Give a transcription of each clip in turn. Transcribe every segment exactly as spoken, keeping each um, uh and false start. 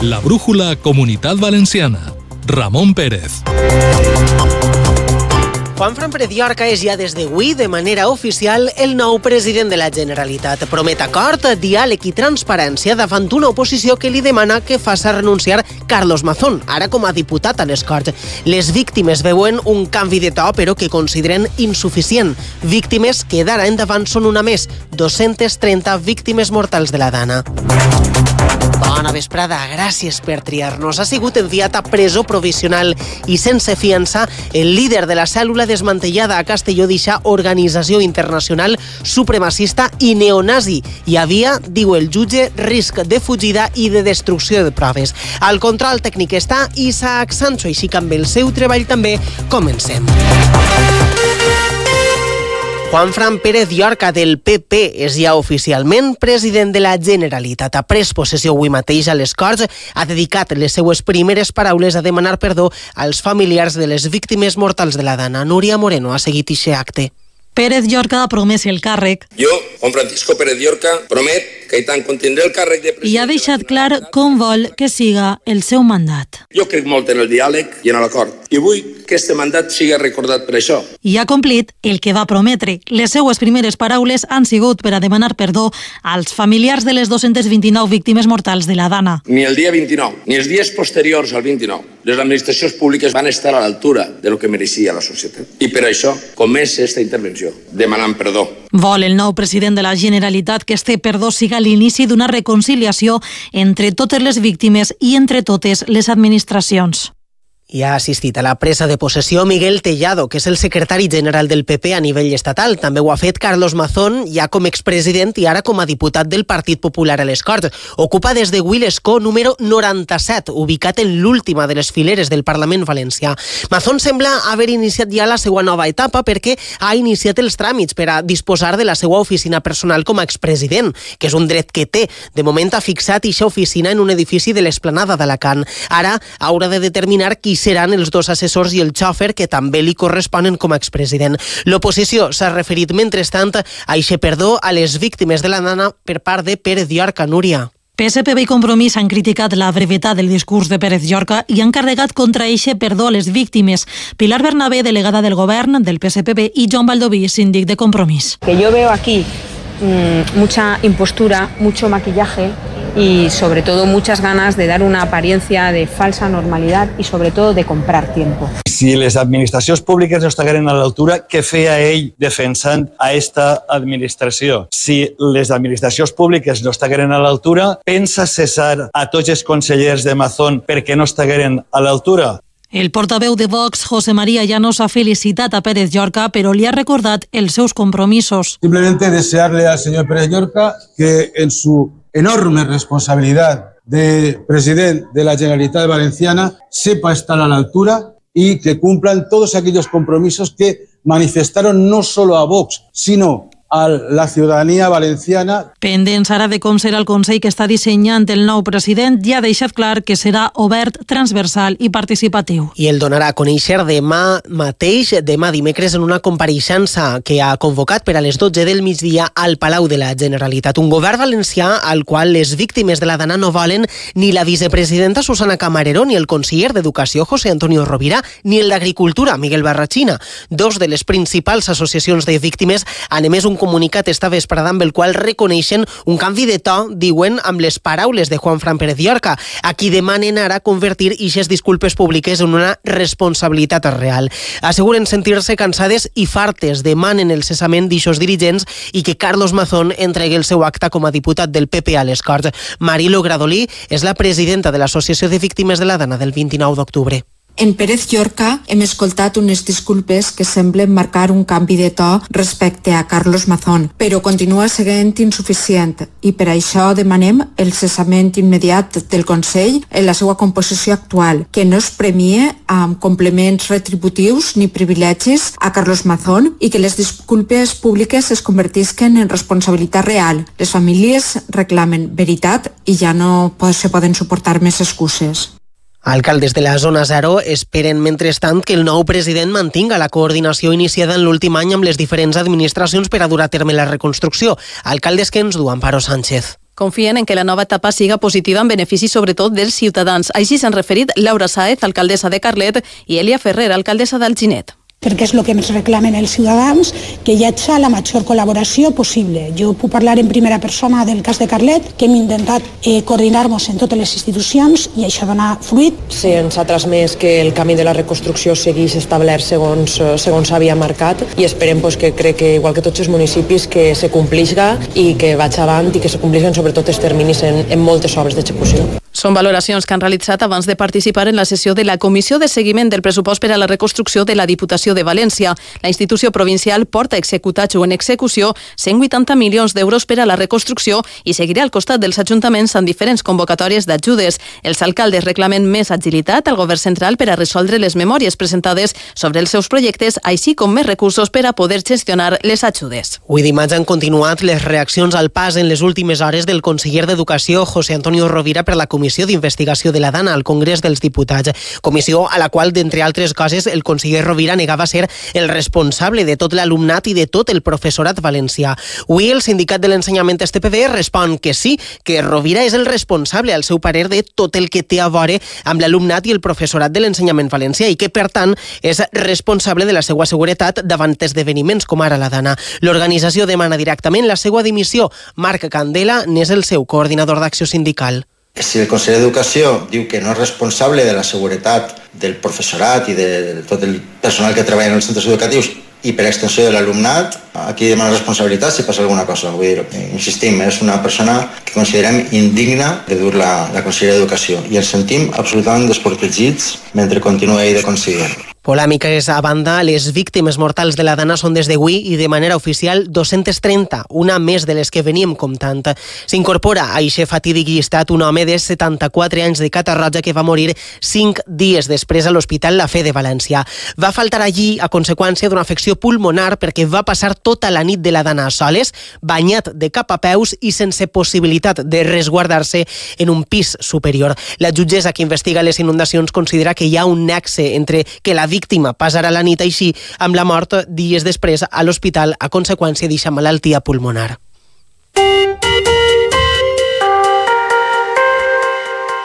La brújula Comunitat Valenciana. Ramon Pérez. Juanfran Pérez Llorca és ja des d'avui, de manera oficial, el nou president de la Generalitat. Promet acord, diàleg i transparència davant una oposició que li demana que faça renunciar Carlos Mazón, ara com a diputat a les Corts. Les víctimes veuen un canvi de to, però que consideren insuficient. Víctimes que d'ara endavant són una més, dos-centes trenta víctimes mortals de la Dana. Bona vesprada, gràcies per triar-nos. Ha sigut enviat a presó provisional i sense fiança el líder de la cèl·lula desmantellada a Castelló d'eixa organització internacional supremacista i neonazi. Hi havia, diu el jutge, risc de fugida i de destrucció de proves. Al control tècnic està Isaac Sancho, així que amb el seu treball també comencem. Juanfran Pérez Llorca del P P és ja oficialment president de la Generalitat. Ha pres possessió avui mateix a les Corts, ha dedicat les seues primeres paraules a demanar perdó als familiars de les víctimes mortals de la Dana. Núria Moreno ha seguit aquest acte. Pérez Llorca ha promès el càrrec. Jo, Juan Francisco Pérez Llorca, promet que tant contindré el càrrec de president... I ha deixat clar com vol que siga el seu mandat. Jo crec molt en el diàleg i en l'acord. I vull que este mandat sigui recordat per això. I ha complit el que va prometre. Les seues primeres paraules han sigut per a demanar perdó als familiars de les dos-centes vint-i-nou víctimes mortals de la Dana. Ni el dia vint-i-nou, ni els dies posteriors al vint-i-nou, les administracions públiques van estar a l'altura de lo que mereixia la societat. I per això comença aquesta intervenció, demanant perdó. Vol el nou president de la Generalitat que este perdó siga l'inici d'una reconciliació entre totes les víctimes i entre totes les administracions. I ha assistit a la presa de possessió Miguel Tellado, que és el secretari general del P P a nivell estatal. També ho ha fet Carlos Mazón, ja com expresident i ara com a diputat del Partit Popular a les Corts. Ocupa des d'avui l'escó número noranta-set, ubicat en l'última de les fileres del Parlament valencià. Mazón sembla haver iniciat ja la seva nova etapa perquè ha iniciat els tràmits per a disposar de la seva oficina personal com a expresident, que és un dret que té. De moment ha fixat eixa oficina en un edifici de l'Esplanada d'Alacant. Ara haurà de determinar qui seran els dos assessors i el xòfer que també li corresponen com a expresident. L'oposició s'ha referit, mentrestant, a eixe perdó a les víctimes de la Dana per part de Pérez Llorca. Núria. P S P B i Compromís han criticat la brevetat del discurs de Pérez Llorca i han carregat contra eixe perdó a les víctimes. Pilar Bernabé, delegada del govern del P S P B, i Joan Baldoví, síndic de Compromís. Que yo veo aquí mmm, mucha impostura, mucho maquillaje y sobre todo muchas ganas de dar una apariencia de falsa normalidad y sobre todo de comprar tiempo. Si les administracions públiques no estigueren a l'altura, què feia ell defensant a esta administració? Si les administracions públiques no estigueren a l'altura, pensa cessar a tots els consellers de Mazón perquè no estigueren a l'altura? El portaveu de Vox, José María Llanos, ha felicitat a Pérez Llorca, però li ha recordat els seus compromisos. Simplemente desearle al señor Pérez Llorca que en su enorme responsabilidad de presidente de la Generalitat Valenciana sepa estar a la altura y que cumplan todos aquellos compromisos que manifestaron no solo a Vox, sino a la ciutadania valenciana. Pendents ara de com serà el Consell que està dissenyant el nou president, ja ha deixat clar que serà obert, transversal i participatiu. I el donarà a conèixer demà mateix, demà dimecres, en una compareixença que ha convocat per a les dotze del migdia al Palau de la Generalitat. Un govern valencià al qual les víctimes de la Dana no volen ni la vicepresidenta Susana Camarero, ni el conseller d'Educació José Antonio Rovira, ni el d'Agricultura Miguel Barrachina. Dos de les principals associacions de víctimes han emès un comunicat esta vesprada amb el qual reconeixen un canvi de to, diuen, amb les paraules de Juanfran Pérez Llorca, a qui demanen ara convertir ixes disculpes públiques en una responsabilitat real. Asseguren sentir-se cansades i fartes, demanen el cessament d'ixos dirigents i que Carlos Mazón entregui el seu acta com a diputat del P P a les Corts. Marilo Gradolí és la presidenta de l'Associació de Víctimes de la Dana del vint-i-nou d'octubre. En Pérez Llorca hem escoltat unes disculpes que semblen marcar un canvi de to respecte a Carlos Mazón, però continua sent insuficient i per això demanem el cessament immediat del Consell en la seva composició actual, que no es premie amb complements retributius ni privilegis a Carlos Mazón i que les disculpes públiques es convertisquen en responsabilitat real. Les famílies reclamen veritat i ja no se poden suportar més excuses. Alcaldes de la zona zero esperen, mentrestant, que el nou president mantinga la coordinació iniciada en l'últim any amb les diferents administracions per a dur a terme la reconstrucció. Alcaldes que ens du Amparo Sánchez. Confien en que la nova etapa siga positiva en benefici sobretot dels ciutadans. Així s'han referit Laura Sáez, alcaldessa de Carlet, i Elia Ferrer, alcaldessa d'Alginet. Perquè és el que ens reclamen els ciutadans, que hi hagi la major col·laboració possible. Jo puc parlar en primera persona del cas de Carlet, que hem intentat eh, coordinar-nos en totes les institucions i això dona fruit. Sí, ens ha transmès que el camí de la reconstrucció segueix establert segons, segons s'havia marcat i esperem pues, que crec que, igual que tots els municipis, que se complisca i que vaig avant i que se complisquen sobretot els terminis en, en moltes obres d'execució. Són valoracions que han realitzat abans de participar en la sessió de la Comissió de Seguiment del Pressupost per a la Reconstrucció de la Diputació de València. La institució provincial porta executats o en execució cent vuitanta milions d'euros per a la reconstrucció i seguirà al costat dels ajuntaments en diferents convocatòries d'ajudes. Els alcaldes reclamen més agilitat al govern central per a resoldre les memòries presentades sobre els seus projectes, així com més recursos per a poder gestionar les ajudes. Avui dimarts han continuat les reaccions al pas en les últimes hores del conseller d'Educació, José Antonio Rovira, per la Comissió d'Investigació de la Dana al Congrés dels Diputats. Comissió a la qual, d'entre altres coses, el conseller Rovira negava ser el responsable de tot l'alumnat i de tot el professorat valencià. Avui el sindicat de l'ensenyament S T P B respon que sí, que Rovira és el responsable, al seu parer, de tot el que té a veure amb l'alumnat i el professorat de l'ensenyament valencià i que, per tant, és responsable de la seva seguretat davant esdeveniments com ara la Dana. L'organització demana directament la seva dimissió. Marc Candela n'és el seu coordinador d'acció sindical. Si el conseller d'Educació diu que no és responsable de la seguretat del professorat i de tot el personal que treballa en els centres educatius i per extensió de l'alumnat, aquí demana responsabilitat si passa alguna cosa. Vull dir, insistim, és una persona que considerem indigna de dur la, la conselleria d'Educació i ens sentim absolutament desprotegits mentre continuï de conseller. Polèmiques a banda, les víctimes mortals de la Dana són des d'avui i de manera oficial dos-centes trenta, una més de les que veníem comptant. S'incorpora a eixe fatídic llistat un home de setanta-quatre anys de Catarroja que va morir cinc dies després a l'Hospital La Fe de València. Va faltar allí a conseqüència d'una afecció pulmonar perquè va passar tota la nit de la Dana a soles, banyat de cap a peus i sense possibilitat de resguardar-se en un pis superior. La jutgessa que investiga les inundacions considera que hi ha un nexe entre que la víctima passarà la nit així amb la mort dies després a l'hospital a conseqüència d'eixa malaltia pulmonar.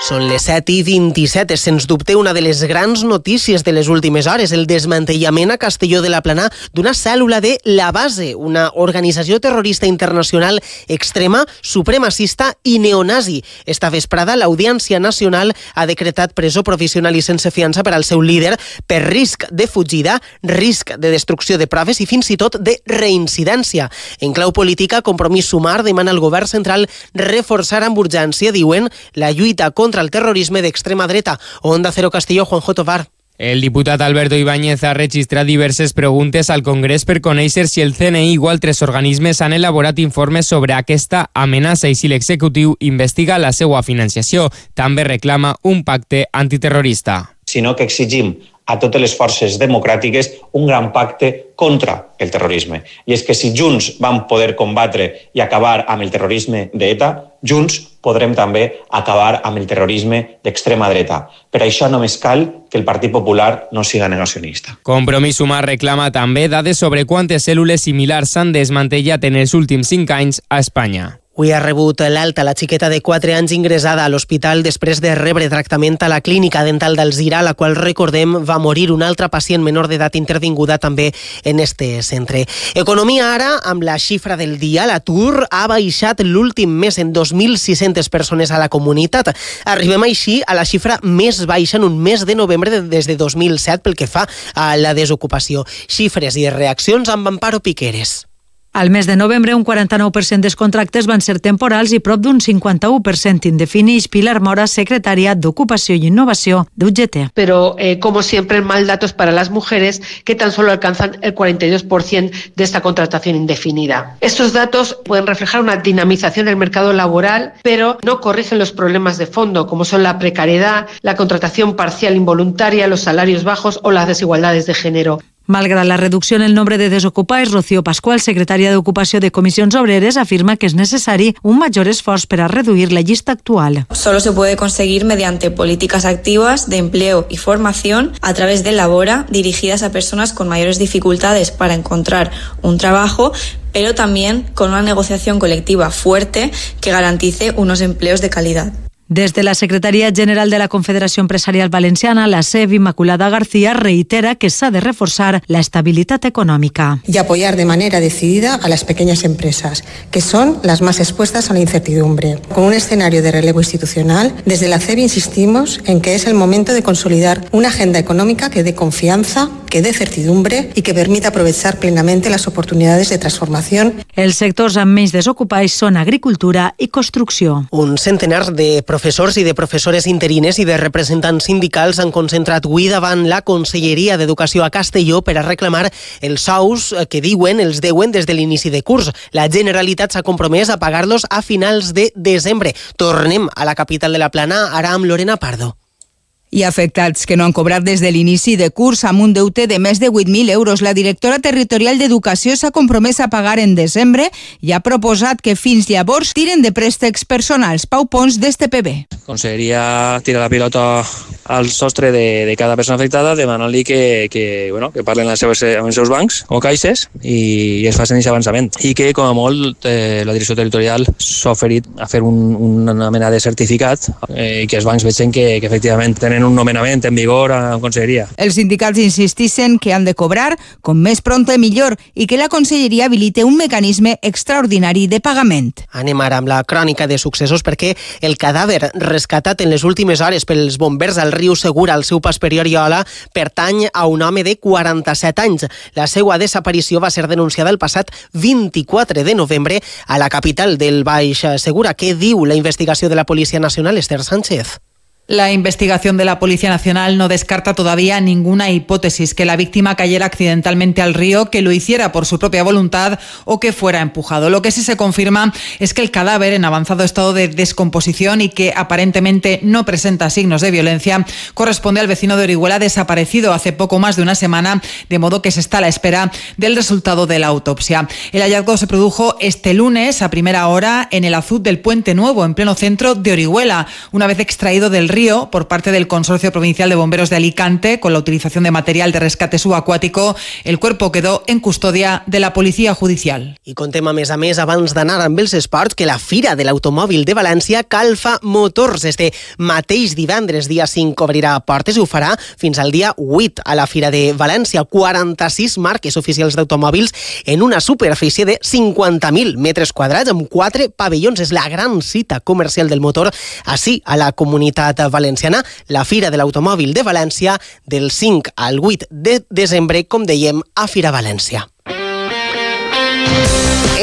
Són les set i vint-i-set. És, sens dubte, una de les grans notícies de les últimes hores, el desmantellament a Castelló de la Plana d'una cèl·lula de La Base, una organització terrorista internacional extrema, supremacista i neonazi. Esta vesprada, l'Audiència Nacional ha decretat presó provisional i sense fiança per al seu líder per risc de fugida, risc de destrucció de proves i fins i tot de reincidència. En clau política, Compromís Sumar demana al govern central reforçar amb urgència, diuen, la lluita contra el terrorisme d'extrema dreta. Onda Cero Castelló, Juanjo Tovar. El diputat Alberto Ibáñez ha registrat diverses preguntes al Congrés per conèixer si el C N I o altres organismes han elaborat informes sobre aquesta amenaça i si l'executiu investiga la seva financiació. També reclama un pacte antiterrorista. Sinó que exigim a totes les forces democràtiques un gran pacte contra el terrorisme. I és que si junts vam poder combatre i acabar amb el terrorisme d'ETA, junts podrem també acabar amb el terrorisme d'extrema dreta. Per això només cal que el Partit Popular no siga negacionista. Compromís Sumar reclama també dades sobre quantes cèl·lules similars s'han desmantellat en els últims cinc anys a Espanya. Avui ha rebut l'alta la xiqueta de quatre anys ingressada a l'hospital després de rebre tractament a la clínica dental d'Alzira, la qual, recordem, va morir una altra pacient menor d'edat intervinguda també en este centre. Economia ara, amb la xifra del dia, l'atur ha baixat l'últim mes en dos mil sis-centes persones a la comunitat. Arribem així a la xifra més baixa en un mes de novembre des de dos mil set pel que fa a la desocupació. Xifres i reaccions amb Amparo Piqueres. Al mes de novembre, un quaranta-nou per cent dels contractes van ser temporals i prop d'un cinquanta-u per cent indefinits. Pilar Mora, secretaria d'Ocupació i Innovació de U G T. Pero, eh, como siempre, mal datos para las mujeres, que tan solo alcanzan el cuarenta y dos por ciento de esta contratación indefinida. Estos datos pueden reflejar una dinamización del mercado laboral, pero no corrigen los problemas de fondo, como son la precariedad, la contratación parcial involuntaria, los salarios bajos o las desigualdades de género. Malgrat la reducció en el nombre de desocupats, Rocío Pascual, secretària d'Ocupació de Comissions Obreres, afirma que és necessari un major esforç per a reduir la llista actual. Solo se puede conseguir mediante políticas activas de empleo y formación a través de Labora, dirigidas a personas con mayores dificultades para encontrar un trabajo, pero también con una negociación colectiva fuerte que garantice unos empleos de calidad. Des de la Secretaria General de la Confederació Empresarial Valenciana, la S E V, Immaculada García, reitera que s'ha de reforçar la estabilitat econòmica. Y apoyar de manera decidida a las pequeñas empresas, que son las más expuestas a la incertidumbre. Con un escenario de relevo institucional, desde la C E V insistimos en que es el momento de consolidar una agenda económica que dé confianza, que dé certidumbre y que permita aprovechar plenamente las oportunidades de transformación. Els sectors amb menys desocupats són agricultura i construcció. Un centenar de professors i de professores interines i de representants sindicals han concentrat avui davant la Conselleria d'Educació a Castelló per a reclamar els sous que diuen els deuen des de l'inici de curs. La Generalitat s'ha compromès a pagar-los a finals de desembre. Tornem a la capital de la Plana, ara amb Lorena Pardo. I afectats que no han cobrat des de l'inici de curs amb un deute de més de vuit mil euros. La directora territorial d'Educació s'ha compromès a pagar en desembre i ha proposat que fins llavors tiren de préstecs personals. Pau Pons, d'S T P B. Conselleria tira la pilota al sostre de, de cada persona afectada demanant-li que, que, bueno, que parlen amb els, seus, amb els seus bancs o caixes i, i es facin aquest avançament. I que, com a molt, eh, la direcció territorial s'ha oferit a fer un, una mena de certificat eh, i que els bancs vegin que, que efectivament tenen un nomenament en vigor a la Conselleria. Els sindicats insistixen que han de cobrar com més pronte millor i que la Conselleria habilite un mecanisme extraordinari de pagament. Anem ara amb la crònica de successos perquè el cadàver rescatat en les últimes hores pels bombers al riu Segura al seu pas per Oriola pertany a un home de quaranta-set anys. La seva desaparició va ser denunciada el passat vint-i-quatre de novembre a la capital del Baix Segura. Què diu la investigació de la Policia Nacional, Esther Sánchez? La investigación de la Policía Nacional no descarta todavía ninguna hipótesis, que la víctima cayera accidentalmente al río, que lo hiciera por su propia voluntad o que fuera empujado. Lo que sí se confirma es que el cadáver en avanzado estado de descomposición y que aparentemente no presenta signos de violencia corresponde al vecino de Orihuela desaparecido hace poco más de una semana, de modo que se está a la espera del resultado de la autopsia. El hallazgo se produjo este lunes a primera hora en el azud del Puente Nuevo, en pleno centro de Orihuela, una vez extraído del río por parte del Consorcio Provincial de Bomberos de Alicante con la utilización de material de rescate subacuático. El cuerpo quedó en custodia de la Policía Judicial. I contem a més a més, abans d'anar amb els esports, que la Fira de l'Automòbil de València Calfa Motors este mateix divendres, dia cinc, obrirà portes i ho farà fins al dia vuit a la Fira de València. quaranta-sis marques oficials d'automòbils en una superfície de cinquanta mil metres quadrats amb quatre pavellons. És la gran cita comercial del motor així a la comunitat valenciana, la Fira de l'Automòbil de València del cinc al vuit de desembre, com dèiem, a Fira València.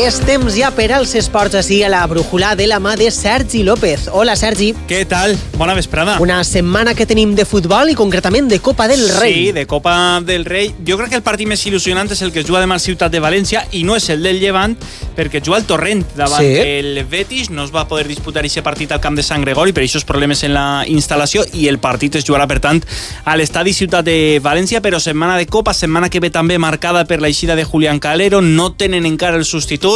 És temps ja per als esports així a la brújula de la mà de Sergi López. Hola, Sergi. Què tal? Bona vesprada. Una setmana que tenim de futbol i concretament de Copa del Rei. Sí, de Copa del Rei. Jo crec que el partit més il·lusionant és el que es juga demà al Ciutat de València i no és el del Llevant, perquè juga el Torrent davant sí. el Betis. No es va poder disputar aquest partit al camp de Sant Gregori per aquests problemes en la instal·lació i el partit es jugarà, per tant, a l'estadi Ciutat de València, però setmana de Copa, setmana que ve també marcada per l'eixida de Julián Calero. No tenen encara el substitut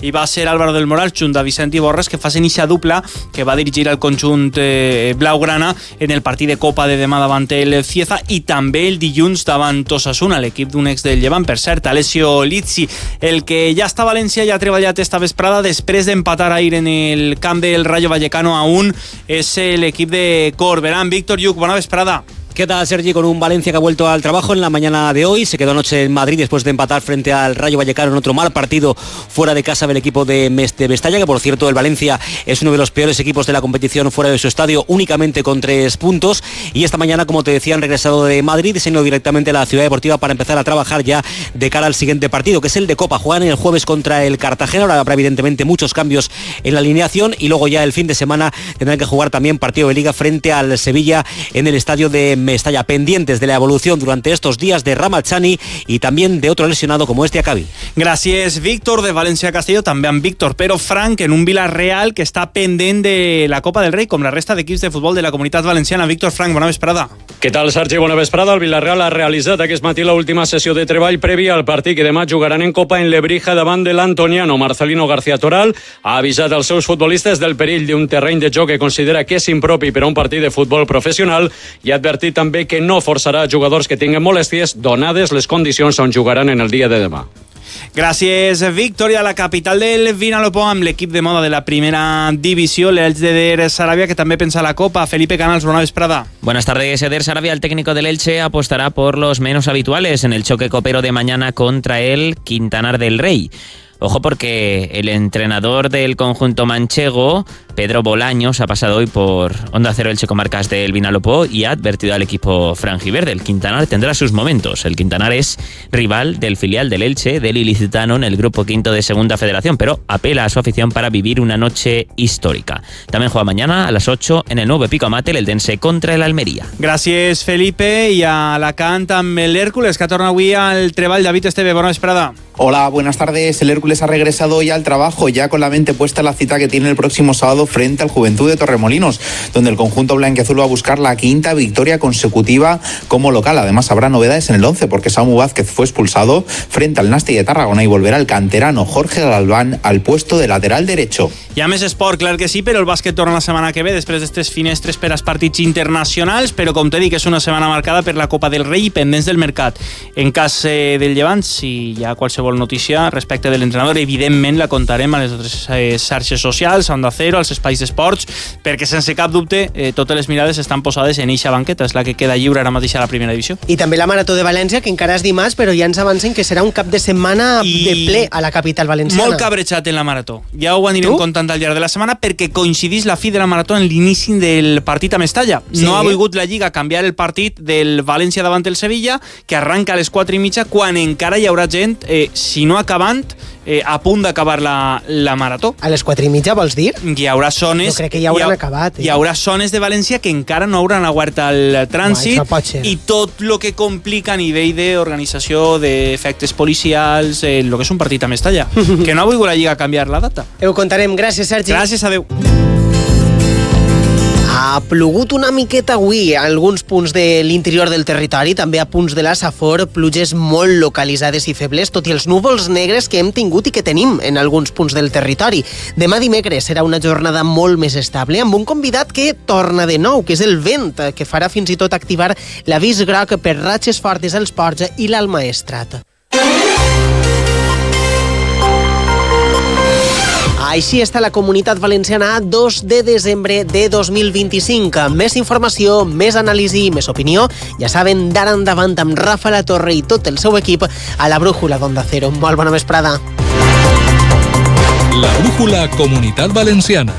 i va ser Álvaro del Moral junt a Vicente Borres que facin eixa dupla que va dirigir el conjunt eh, blaugrana en el partit de Copa de demà davant el Cieza i també el dilluns davant Osasuna, l'equip d'un ex del Llevant, per cert, Alessio Lizzi. El que ja està a València i ha treballat esta vesprada després d'empatar ahir en el camp del Rayo Vallecano a un és l'equip de Corberán. Víctor Lluc, bona vesprada. ¿Qué tal, Sergi? Con un Valencia que ha vuelto al trabajo en la mañana de hoy. Se quedó anoche en Madrid después de empatar frente al Rayo Vallecano en otro mal partido fuera de casa del equipo de Mestalla, que por cierto el Valencia es uno de los peores equipos de la competición fuera de su estadio, únicamente con tres puntos. Y esta mañana, como te decía, han regresado de Madrid y se han ido directamente a la Ciudad Deportiva para empezar a trabajar ya de cara al siguiente partido, que es el de Copa. Juegan el jueves contra el Cartagena. Ahora habrá evidentemente muchos cambios en la alineación y luego ya el fin de semana tendrán que jugar también partido de Liga frente al Sevilla en el estadio de Mestalla. Pendientes de la evolución durante estos días de Ramazani y también de otro lesionado como este Acabi. Gràcies, Víctor. De València a Castelló també amb Víctor, però Frank en un Villarreal que està pendent de la Copa del Rei, com la resta d'equips de futbol de la Comunitat Valenciana. Víctor, Frank, bona vesprada. Què tal, Sergi? Bona vesprada. El Villarreal ha realitzat aquest matí l'última sessió de treball prèvia al partit que demà jugaran en Copa en Lebrija davant de l'Antoniano. Marcelino García Toral ha avisat als seus futbolistes del perill d'un terreny de joc que considera que és impropi per a un partit de futbol professional i ha advertit també que no forçarà jugadors que tinguin molèsties donades les condicions on jugaran en el dia de demà. Gràcies, Víctor. I a la capital del Vinalopó, amb l'equip de moda de la primera divisió, l'Elche de Sarabia, que també pensa la Copa. Felipe Canals, bona vesprada. Buenas tardes, Eder Sarabia. El técnico del Elche apostará por los menos habituales en el choque copero de mañana contra el Quintanar del Rey. Ojo, porque el entrenador del conjunto manchego, Pedro Bolaños, ha pasado hoy por Onda Cero Elche Comarcas del Vinalopó y ha advertido al equipo franjiverde. El Quintanar tendrá sus momentos. El Quintanar es rival del filial del Elche, del ilicitano, en el grupo quinto de Segunda Federación, pero apela a su afición para vivir una noche histórica. También juega mañana a las ocho en el nuevo Pico Amate, el Eldense contra el Almería. Gràcies, Felipe. I a Alacant amb l'Hèrcules, que torna avui al treball. David Esteve, bona vesprada. Hola, buenas tardes. El Hércules ha regresado hoy al trabajo, ya con la mente puesta en la cita que tiene el próximo sábado frente al Juventud de Torremolinos, donde el conjunto blanquiazul va a buscar la quinta victoria consecutiva como local. Además, habrá novedades en el once, porque Samu Vázquez fue expulsado frente al Nasti de Tarragona y volverá el canterano Jorge Galván al puesto de lateral derecho. Hi ha més esport, clar que sí, però el bàsquet torna la setmana que ve, després d'estes finestres per als partits internacionals, però com t'he dit, és una setmana marcada per la Copa del Rei i pendents del mercat. En cas eh, del Llevant, si hi ha qualsevol notícia respecte de l'entrenador, evidentment la contarem a les altres eh, xarxes socials, a Onda Cero, als espais d'esports, perquè sense cap dubte eh, totes les mirades estan posades en eixa banqueta, és la que queda lliure ara mateix a la primera divisió. I també la Marató de València, que encara és dimarts, però ja ens avancen que serà un cap de setmana I... de ple a la capital valenciana. Molt cabrejat en la Marató. Ja ho anirem tu? contant al llarg de la setmana, perquè coincidís la fi de la Marató en l'inici del partit a Mestalla. Sí. No ha volgut la Lliga canviar el partit del València davant el Sevilla, que arranca a les quatre i mitja, quan encara hi haurà gent, eh, si no acabant, eh, a punt d'acabar la, la Marató. A les quatre i mitja, vols dir? Hi haurà zones... Jo crec que ja hauran hi ha, acabat. Eh? Hi haurà zones de València que encara no hauran aguart el trànsit, Uai, i tot el que complica a nivell d'organització, d'efectes policials, el eh, que és un partit a Mestalla, que no ha volgut la Lliga canviar la data. Ho contarem. Gràcies, Sergi. Gràcies, adeu. Ha plogut una miqueta avui a alguns punts de l'interior del territori, també a punts de la Safor, pluges molt localitzades i febles, tot i els núvols negres que hem tingut i que tenim en alguns punts del territori. Demà dimecres serà una jornada molt més estable, amb un convidat que torna de nou, que és el vent, que farà fins i tot activar l'avís groc per ratxes fortes als ports i l'Almaestrat. Així està la Comunitat Valenciana a dos de desembre de dos mil vint-i-cinc. Més informació, més anàlisi i més opinió, ja saben, d'ara endavant amb Rafa La Torre i tot el seu equip a la Brújula d'Onda Cero. Molt bona vesprada. La Brújula Comunitat Valenciana.